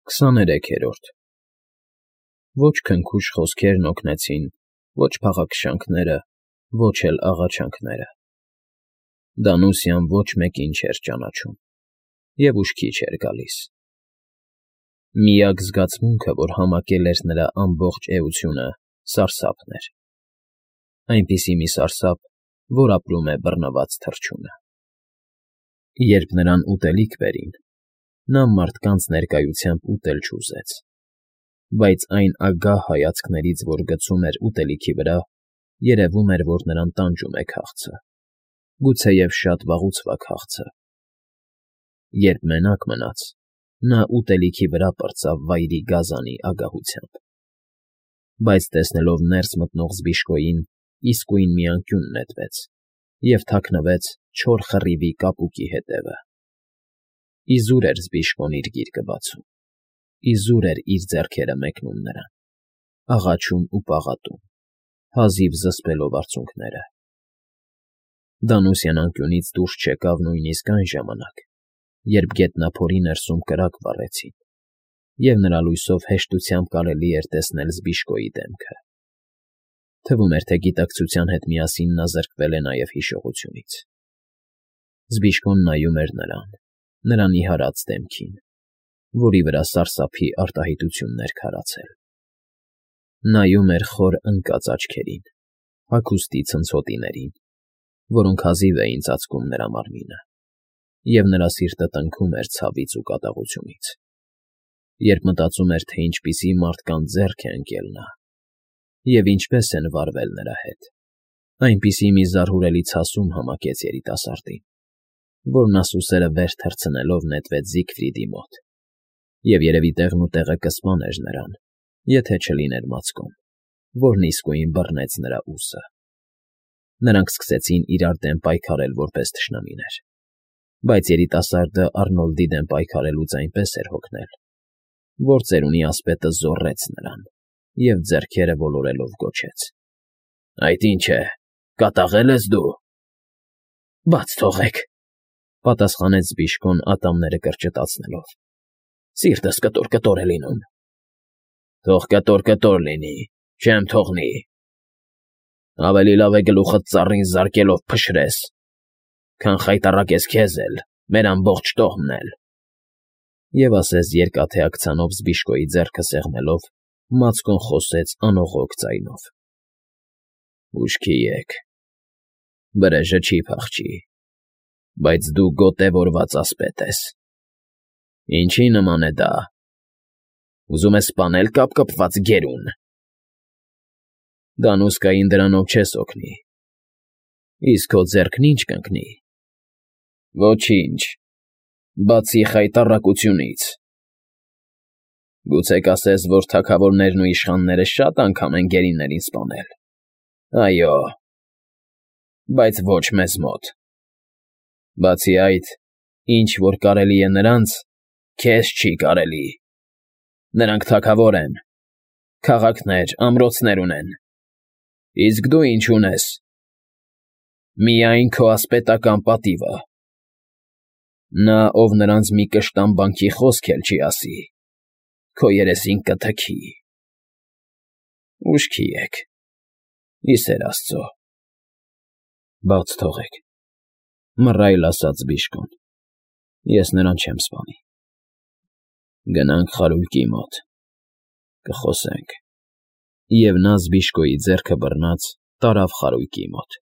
23-րդ Ոչ քնքուշ խոսքերն օգնեցին, ոչ փաղաքշանքները, ոչ էլ աղաչանքները. Դանուսյան ոչ մեկին չէր ճանաչում և ուշքի չէր գալիս. միակ զգացմունքը, որ համակել էր նրա ամբողջ էությունը, սարսափն էր, այնպիսի մի սարսափ, որ ապրում է բռնված թռչունը. Երբ նրան ուտելիք բերին, նա մարդկանց ներկայությամբ ուտել չուզեց, բայց այն ագահ հայացքներից, որ գցում էր ուտելիքի վրա, երևում էր, որ նրան տանջում է քաղցը, գուցեև շատ վաղուցվա քաղցը. Երբ մենակ մնաց, նա ուտելիքի վրա պրծավ վայրի գազանի ագահությամբ, բայց տեսնելով ներս մտնող Զբիշկոյին, իսկույն մի անկյուն նետվեց և թաքնվեց չոր խռիվի կապուկի հետևը. իզուր էր Զբիշկոն իր գիրկը բացում, իզուր էր իր ձեռքերը մեկնում նրան, աղաչում ու պաղատում, հազիվ զսպելով արցունքները. Դանուսյան անկյունից դուրս չեկավ նույնիսկ այն ժամանակ, երբ գետնափորի ներսում կրակ վառեցին, և նրա լույսով հեշտությամբ կարելի էր տեսնել Զբիշկոյի դեմքը. թվում էր, թե գիտակցության հետ միասին նա զրկվել է նաև հիշողությունից. Զբիշկոն նայում էր նրան նիհարած դեմքին, որի վրա սարսափի արտահայտություններ քարացել. նայում էր խոր ընկած աչքերին, հագուստի ցնցոտիներին, որոնք հազիվ էին ծածկում նրա մարմինը, և նրա սիրտը տնքում էր ցավից ու կատաղությունից, երբ մտածում էր, թե ինչպիսի մարդկանց ձեռք է ընկել նա, և ինչպես են վարվել նրա հետ, այնպիսի մի զարհուրելի ցասում համակեց երիտասարդին, որ նա սուսերը վեր թռցնելով նետվեց Զիգֆրիդի մոտ, և երևի տեղնուտեղը կսպաներ նրան, եթե չլիներ Մացկոն, որն իսկույն բռնեց նրա ուսը. Նրանք սկսեցին իրար դեմ պայքարել որպես թշնամիներ, բայց երիտասարդը Արնոլդի դեմ պայքարելուց այնպես էր հոգնել, որ ծերունի ասպետը զոռեց նրան և ձեռքերը ոլորելով գոչեց. «Այդ ի՞նչ է, կատաղե՞լ ես դու»։ «Բաց թողեք», պատասխանեց Զբիշկոն ատամները կրճտացնելով. «Սիրտս կտոր-կտոր է լինում»։ «Թող կտոր֊կտոր լինի, չեմ թողնի։ Ավելի լավ է գլուխդ ծառին զարկելով փշրես, քան խայտառակես քեզ էլ, մեր ամբողջ տոհմն էլ»։ Եվ ասես երկաթե աքցանով Զբիշկոյի ձեռքը սեղմելով, Մացկոն խոսեց անողոք ձայնով. «Ուշքի եք, վրեժը չի փախչի, բայց դու գոտևորված ասպետ ես։ Ինչի նման է դա, ուզում ես սպանել կապկպված գերուն։ Դանուսկային դրանով չես օգնի, իսկ քո ձեռքն ի՞նչ կընկնի։ Ոչինչ, բացի խայտառակությունից։ Գուցե կասես, որ թագավորներն ու իշխանները շատ անգամ են գերիներին սպանել։ Այո, բայց ոչ մեզ մոտ։ Բացի այդ, ինչ որ կարելի է նրանց, քեզ չի կարելի։ Նրանք թագավոր են, քաղաքներ, ամրոցներ ունեն, իսկ դու ինչ ունես։ Միայն քո ասպետական պատիվը։ Նա, ով նրանց մի կշտամբանքի խոսք էլ չի ասի, քո երեսին կթքի։ Ուշքի եք, ի սեր Աստծո»։ «Բաց թողեք», մռայլ ասաց Զբիշկոն, «ես նրան չեմ սպանի»։ «Գնանք խարույկի մոտ, կխոսենք»։ Եվ նա Զբիշկոյի ձեռքը բռնած տարավ խարույկի մոտ,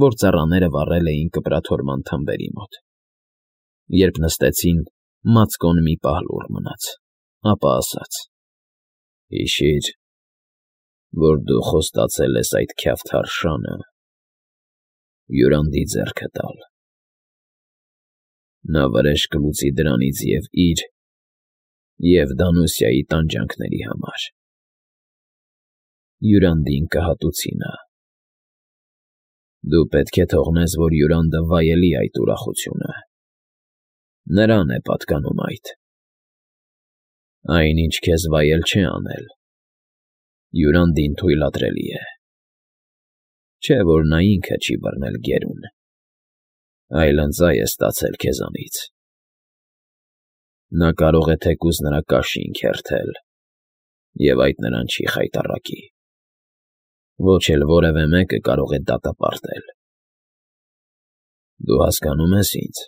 որ ծառաները վառել էին կպրաթորման թմբերի մոտ։ Երբ նստեցին, Մացկոն մի պահ լուռ մնաց, ապա ասաց. «Հիշի՛ր, որ դու խոստացել ես այդ քյավթար շանը Յուրանդի ձեռքը տալ։ Նա վրեժ կլուծի դրանից և իր, և Դանուսյայի տանջանքների համար։ Յուրանդին կհատուցի նա։ Դու պետք է թողնես, որ Յուրանդը վայելի այդ ուրախությունը. նրան է պատկանում այդ։ Այն, ինչ քեզ վայել չէ անել, Յուրանդին թույլատրելի է։ Չէ՞ որ նա ինքը չի բռնել գերուն, այլ ընծայ է ստացել քեզանից։ Նա կարող է թեկուզ նրա կաշին քերթել, և այդ նրան չի խայտառակի, ոչ էլ որևէ մեկը կարող է դատապարտել։ Դու հասկանո՞ւմ ես ինձ։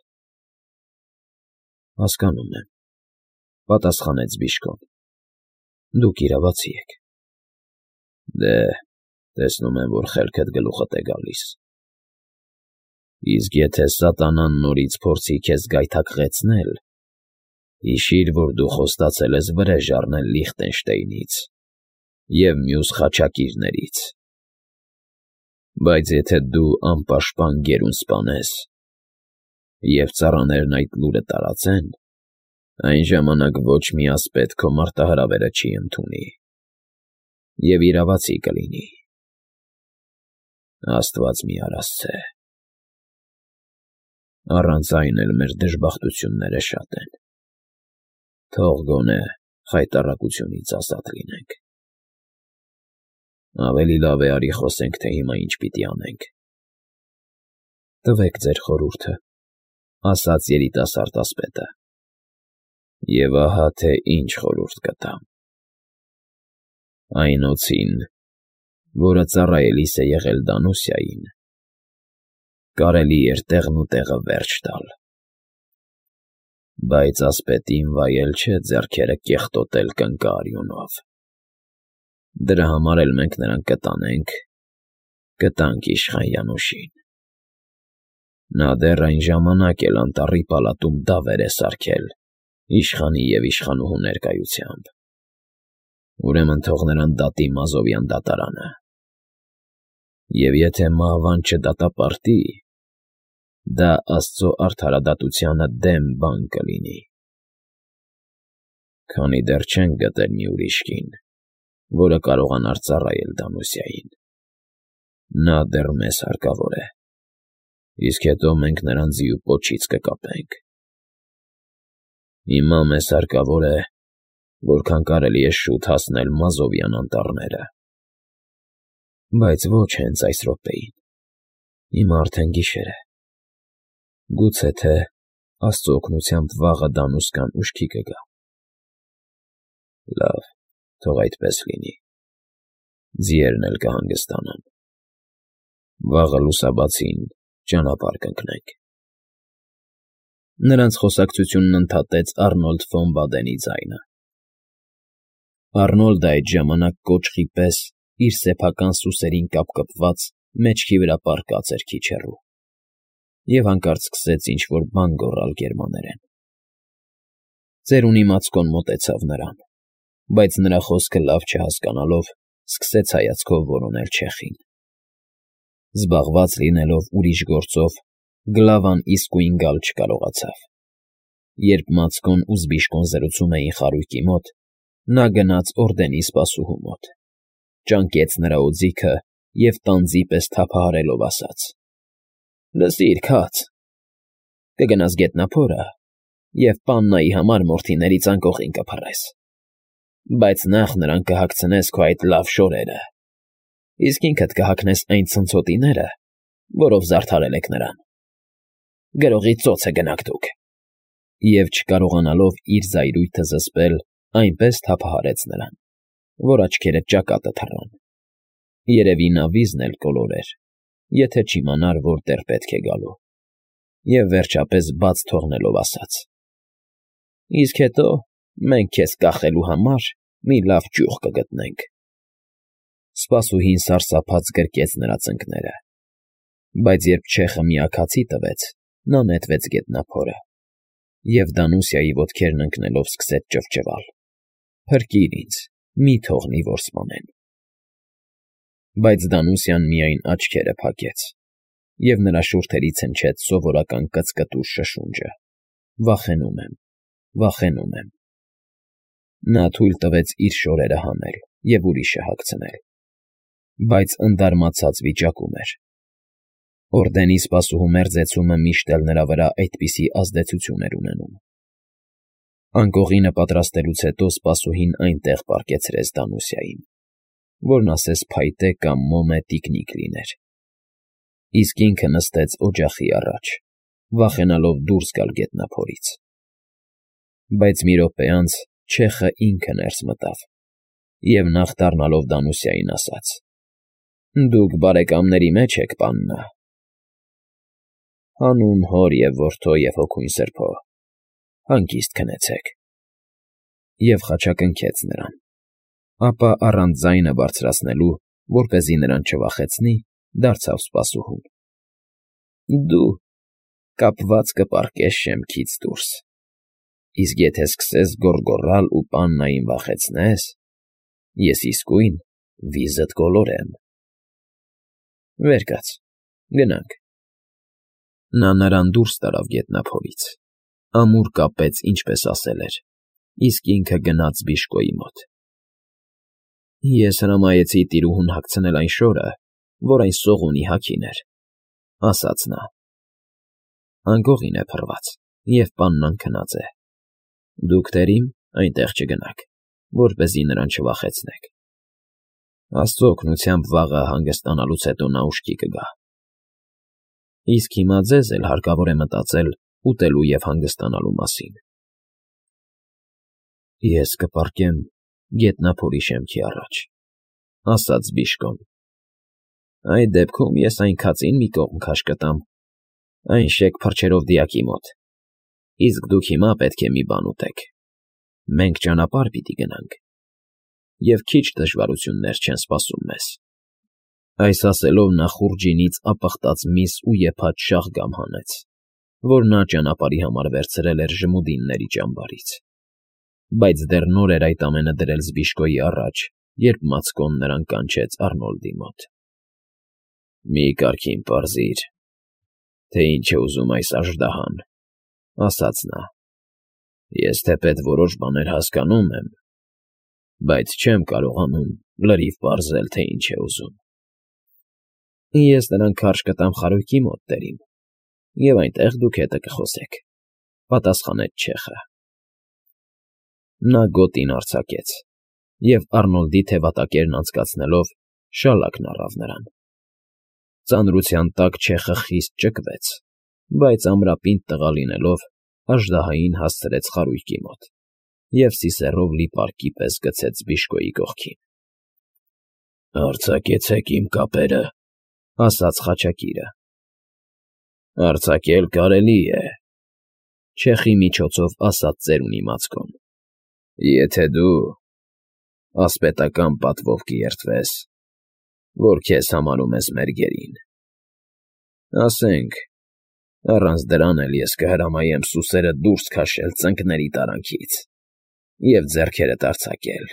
Հասկանում եմ, պատասխանեց Բիժկոն։ Դուք իրավացի եք։ Դե, տեսնում եմ, որ խելքդ գլուխդ է գալիս։ Իսկ եթե սատանան նորից փորձի քեզ գայթակղեցնել, հիշիր, որ դու խոստացել ես վրեժ առնել Լիխտենշտեյնից և մյուս խաչակիրներից, բայց եթե դու անպաշտպան գերուն սպանես, և ծառաներն այդ լուրը տարածեն, այն ժամանակ ոչ մի ասպետ քո մարտահրավերը չի ընդունի, և իրավացի կլինի։ Աստված մի արասցե։ Առանց այն էլ մեր դժբախտությունները շատ են։ Թող գոնե խայտառակությունից ազատ լինենք։ Ավելի լավ է արի խոսենք, թե հիմա ինչ պիտի անենք։ Տվեք ձեր խորհուրդը, ասաց երիտասարդ ասպետը։ Եվ ահա թե ինչ խորհուրդ կտամ։ Այն օձին, որը ծառայելիս է եղել Դանուսիային, կարելի էր տեղն ու տեղը վերջ տալ, բայց ասպետին վայել չէ ձեռքերը կեղտոտել կնկարիունով։ Դրա համար էլ մենք նրան կտանենք, կտանք իշխան Յանուշին։ Նա դեռ այն ժամանակ էլ անտառի պալատում դավեր է սարքել իշխանի և իշխանուհու ներկայությամբ։ Ուրեմն թող նրան դատի Մազովյան դատարանը։ Եվ եթե մահվան չդատապարտի, դա Աստծո արդարադատությանը դեմ բան կլինի։ Քանի դեռ չենք գտել մի ուրիշ կին, որը կարողանար ծառայել Դանուսիային։ Նա դեռ մեզ հարկավոր է, իսկ հետո մենք նրան ձիու պոչից կկապենք։ Հիմա մեզ հարկավոր է, որքան կարելի է շուտ հասնել Մազովյան անտառները։ Բայց ոչ հենց այս րոպեին։ Հիմա արդեն գիշեր է։ Գուցե թե Աստծո օգնությամբ վաղը Դանուսկան ուշքի կգա։ Լավ, թող այդպես լինի։ Ձիերն էլ կհանգստանան։ Վաղը լուսաբացին ճանապարհ կընկնենք։ Նրանց խոսակցությունն ընդհատեց Առնոլդ ֆոն Բադենի ձայնը։ Առնոլդը այդ ժամանակ կոճղի պես իր սեփական սուսերին կապկպված մեջքի վրա պառկած էր քիչ հեռու, և հանկարծ սկսեց ինչ֊որ բան գոռալ գերմաներեն։ Ծերունի Մացկոն մոտեցավ նրան, բայց նրա խոսքը լավ չհասկանալով, սկսեց հայացքով որոնել չեխին։ Զբաղված լինելով ուրիշ գործով, Գլավան իսկույն գալ չկարողացավ։ Երբ Մացկոն ու Զբիժկոն զրուցում էին խարույկի մոտ, նա գնաց օրդենի սպասուհու մոտ, ճանկեց նրա օձիքը և տանձի պես թափահարելով ասաց. «Լսիր, քաց, կգնաս գետնափորը և պաննայի համար մորթիներից անկողին կփռես, բայց նախ նրան կհագցնես քո այդ լավ շորերը, իսկ ինքդ կհագնես այն ցնցոտիները, որով զարդարել եք նրան։ Գրողի ծոցը գնաք դուք»։ Եվ չկարողանալով իր զայրույթը զսպել, այնպես թափահարեց նրան, որ աչքերը ճակատը թռան։ Երևի նա վիզն էլ կոլորեր, եթե չիմանար, որտեղ պետք է գալու, և վերջապես բաց թողնելով ասաց. «Իսկ հետո մենք քեզ կախելու համար մի լավ ճյուղ կգտնենք»։ Սպասուհին սարսափած գրկեց նրա ծնկները, բայց երբ չեխը միաքացի տվեց, նա նետվեց գետնափորը, և Դանուսիայի ոտքերն ընկնելով սկսեց ճվճվալ. «Փրկիր ինձ, մի թողնի, որ սպանեն»։ Բայց Դանուսիան միայն աչքերը փակեց, և նրա շուրթերից հնչեց սովորական կծկտուր շշունջը. «Վախենում եմ, վախենում եմ»։ Նա թույլ տվեց իր շորերը հանել և ուրիշը հագցնել, բայց ընդարմացած վիճակում էր։ Օրդենի սպասուհու մերձեցումը միշտ էլ նրա վրա այդպիսի ազդեցություն էր ունենում։ Անկողինը պատրաստելուց հետո սպասուհին այնտեղ պառկեցրեց Դանուսիային, որն ասես փայտե կամ մոմե տիկնիկ լիներ, իսկ ինքը նստեց օջախի առաջ, վախենալով դուրս գալ գետնափորից։ Բայց մի րոպե անց չեխը ինքը ներս մտավ և նախ դառնալով Դանուսիային ասաց. «Դուք բարեկամների մեջ եք, պաննա»։ «Հանուն Հոր և Որդու և Հոգուն Սրբո, հանգիստ քնեցեք»։ Եվ խաչակնքեց նրան, ապա առանց ձայնը բարձրացնելու, որպեսզի նրան չվախեցնի, դարձավ սպասուհուն. «Դու կապված կպառկես շեմքից դուրս, իսկ եթե սկսես գոռգոռալ ու պաննային վախեցնես, ես իսկույն վիզդ կոլորեմ։ Վեր կաց, գնանք»։ Նա նրան դուրս տարավ գետնափորից, ամուր կապեց, ինչպես ասել էր, իսկ ինքը գնաց բժիշկի մոտ։ «Ես հրամայեցի տիրուհուն հագցնել այն շորը, որ այն սողունի հագին էր», ասաց նա։ «Անկողին է փռված, և պաննան քնած է։ Դուք տերիմ այնտեղ չգնաք, որպեսզի նրան չվախեցնեք։ Աստծո օգնությամբ վաղը հանգստանալուց հետո նա ուշքի կգա։ Իսկ հիմա ձեզ էլ հարկավոր է մտածել ուտելու և հանգստանալու մասին»։ «Ես կպառկեմ գետնափորի շեմքի առաջ», ասաց բժիշկն։ «Այդ դեպքում ես այն քածին մի կողմ քաշ կտամ, այն շեկ փռչերով դիակի մոտ, իսկ դուք հիմա պետք է մի բան ուտեք. մենք ճանապարհ պիտի գնանք, և քիչ դժվարություններ չեն սպասում մեզ»։ Այս ասելով նա խուրջինից ապխտած միս ու եփած շաղգամ հանեց, որ նա ճանապարհի համար վերցրել էր ժմուդինների ճամբարից։ Բայց դեռ նոր էր այդ ամենը դրել Զբիշկոյի առաջ, երբ Մացկոն նրան կանչեց Առնոլդի մոտ։ «Մի կարգին պարզիր, թե ինչ է ուզում այս աժդահան», ասաց նա։ «Ես թեպետ որոշ բաներ հասկանում եմ, բայց չեմ կարողանում լրիվ պարզել, թե ինչ է ուզում»։ «Ես նրան քարշ կտամ խարույկի մոտ, տերիմ, և այնտեղ դուք հետը կխոսեք», պատասխանեց չեխը։ Նա գոտին արձակեց, և Առնոլդի թևատակերն անցկացնելով շալակն առավ նրան։ Ծանրության տակ չեխը խիստ ճկվեց, բայց ամրապինդ տղա լինելով, աժդահային հասցրեց խարույկի մոտ և սիսեռով լի պարկի պես գցեց Զբիշկոյի կողքին։ «Արձակեցեք իմ կապերը», ասաց խաչակիրը։ «Արձակել կարելի է», չեխի միջոցով ասաց ծերունի Մացկոն, «եթե դու ասպետական պատվով կերտվես, որ քեզ համարում ես մեր գերին։ Ասենք, առանց դրան էլ ես կհրամայեմ սուսերդ դուրս քաշել ծնկների տարանքից և ձեռքերդ արձակել,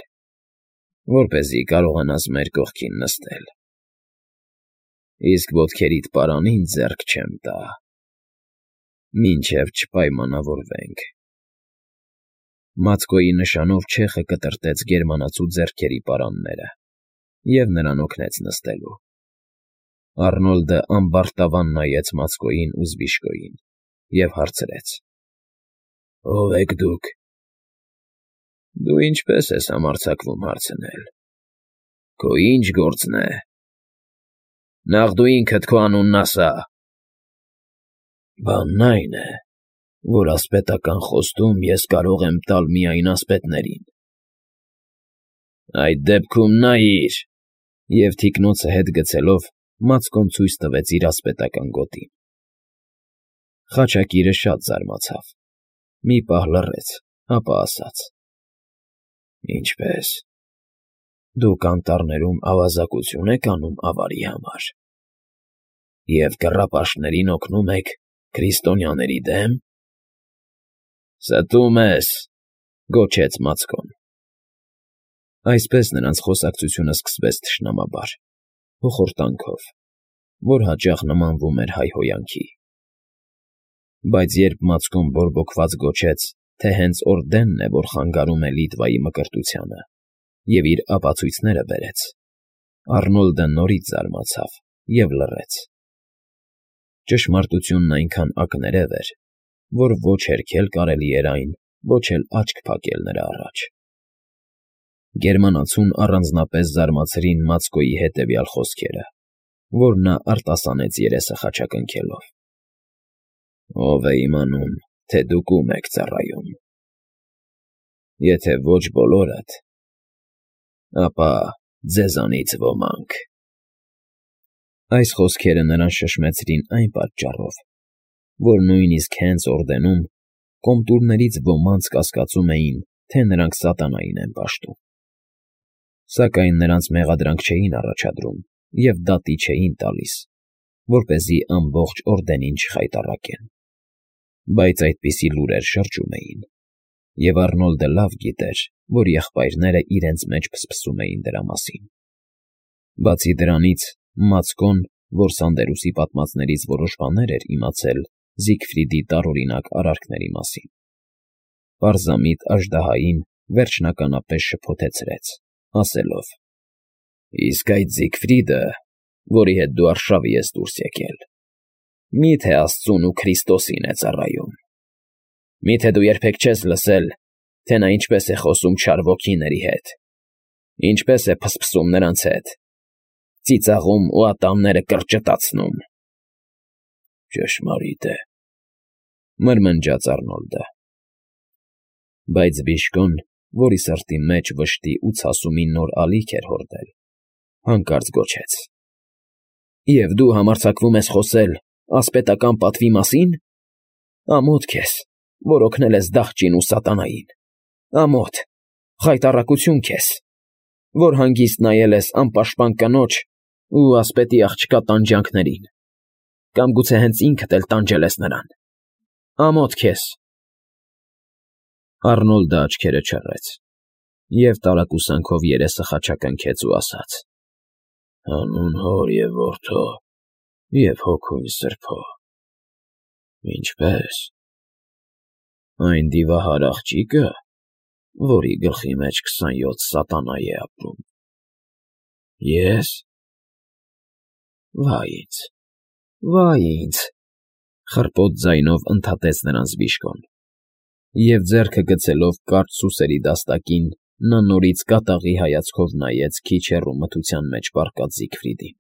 որպեսզի կարողանաս մեր կողքին նստել։ Իսկ ոտքերիդ պարանին ձեռք չեմ տա, մինչև չպայմանավորվենք»։ Մացկոյի նշանով չեխը կտրտեց գերմանացու ձեռքերի պարանները և նրան օգնեց նստելու։ Առնոլդը ամբարտավան նայեց Մացկոյին ու Զբիշկոյին և հարցրեց. «Ո՞վ եք դուք»։ «Դու ինչպես ես համարձակվում հարցնել։ Քո ի՞նչ գործն է։ Նախ դու ինքդ քո անունն ասա»։ «Բանն այն է, որ ասպետական խոստում ես կարող եմ տալ միայն ասպետներին»։ «Այդ դեպքում նայիր», և թիկնոցը հետ գցելով Մացկոն ցույց տվեց իր ասպետական գոտին։ Խաչակիրը շատ զարմացավ, մի պահ լռեց, ապա ասաց. «Ինչպե՞ս, դուք անտառներում ավազակություն եք անում ավարի համար և կռապաշտներին օգնում եք քրիստոնյաների դեմ»։ «Ստում ես», գոչեց Մացկոն։ Այսպես նրանց խոսակցությունը սկսվեց թշնամաբար, հոխորտանքով, որ հաճախ նմանվում էր հայհոյանքի։ Բայց երբ Մացկոն բորբոքված գոչեց, թե հենց Օրդենն է, որ խանգարում է Լիտվայի մկրտությանը, և իր ապացույցները բերեց, Առնոլդը նորից զարմացավ և լռեց։ Ճշմարտությունն այնքան ակներև էր, որ ոչ հերքել կարելի էր այն, ոչ էլ աչք փակել նրա առաջ։ Գերմանացուն առանձնապես զարմացրին Մացկոյի հետևյալ խոսքերը, որ նա արտասանեց երեսը խաչակնքելով. «Ո՞վ է իմանում, թե դուք ում եք ծառայում։ Եթե ոչ բոլորդ, ապա ձեզանից ոմանք։ Այս խոսքերը նրան շշմեցրին այն պատճառով, որ նույնիսկ հենց օրդենում կոմտուրներից ոմանց կասկածում էին, թե նրանք սատանային են պաշտում։ Սակայն նրանց մեղադրանք չէին առաջադրում և դատի չէին տալիս, որպեսզի ամբողջ օրդենին չխայտառակեն։ Բայց այդպիսի լուրեր շրջում էին, և Առնոլդը լավ գիտեր, որ եղբայրները իրենց մեջ փսփսում էին դրա մասին։ Բացի դրանից, Մացկոն, որ Սանդերուսի պատմածներից որոշ բաներ էր իմացել Զիգֆրիդի տարօրինակ արարքների մասին, պարզամիտ աժդահային վերջնականապես շփոթեցրեց, ասելով. «Իսկ այդ Զիգֆրիդը, որի հետ դու արշավի ես դուրս եկել, մի՞թե Աստծուն ու Քրիստոսին է ծառայում։ Մի՞թե դու երբեք չես լսել, թե նա ինչպես է խոսում չար ոգիների հետ, ինչպես է փսփսում նրանց հետ, ծիծաղում ու ատամները կրճտացնում»։ «Ճշմարիտ է,֊ մրմնջաց Առնոլդը։ Բայց Բիժկոն, որի սրտի մեջ վշտի ու ցասումի նոր ալիք էր հորդել, հանկարծ գոչեց. «Եվ դու համարձակվում ես խոսել ասպետական պատվի մասին։ Ամոթ քեզ, որ օգնել ես դղճին ու սատանային, ամոթ, խայտառակություն քեզ, որ հանգիստ նայել ես անպաշտպան կնոջ ու ասպետի աղջկա տանջանքներին, կամ գուցե հենց ինքդ էլ տանջել ես նրան, ամոթ քեզ»։ Առնոլդը աչքերը չռեց և տարակուսանքով երեսը խաչակնքեց ու ասաց. «Հանուն Հոր և Որդու և Հոգուն Սրբո»։ «Ինչպե՞ս։ Այն դիվահար աղջիկը, որի գլխի մեջ 27 սատանա է ապրում։ Ե՞ս։ Վայ ինձ,֊ խռպոտ ձայնով ընդհատեց նրանց Բիժկոն, և ձեռքը գցելով կարճ սուսերի դաստակին, նա նորից կատաղի հայացքով նայեց քիչ հեռու մթության մեջ պառկած Զիգֆրիդին։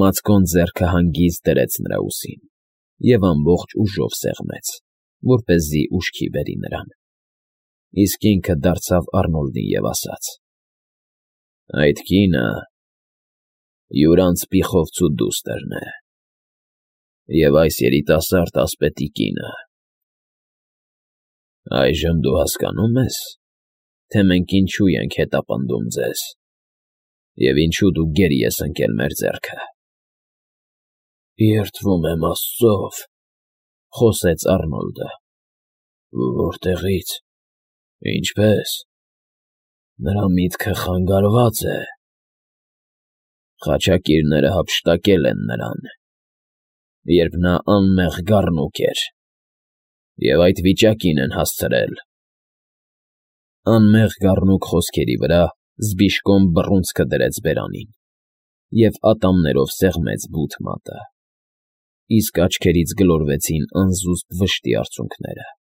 Մացկոն ձեռքը հանգիստ դրեց նրա ուսին և ամբողջ ուժով սեղմեց, որպեսզի ուշքի բերի նրան, իսկ ինքը դարձավ Առնոլդին և ասաց. «Այդ կինը յուրաքանչյուր անձրևի դուստրն է, և այս երիտասարդ ասպետի կինը։ Այժմ դու հասկանո՞ւմ ես, թե մենք ինչու ենք հետապնդում ձեզ և ինչու դու գերի ես ընկել մեր ձեռքը»։ «Երդվում եմ Աստծով,֊ խոսեց Առնոլդը։ Որտեղի՞ց, ինչպե՞ս։ Նրա միտքը խանգարված է։ Խաչակիրները հափշտակել են նրան, երբ նա անմեղ գառնուկ էր, և այդ վիճակին են հասցրել»։ «Անմեղ գառնուկ» խոսքերի վրա Զբիժկոն բռունցքը դրեց բերանին և ատամներով սեղմեց բութ մատը, իսկ աչքերից գլորվեցին անզուսպ վշտի արցունքները։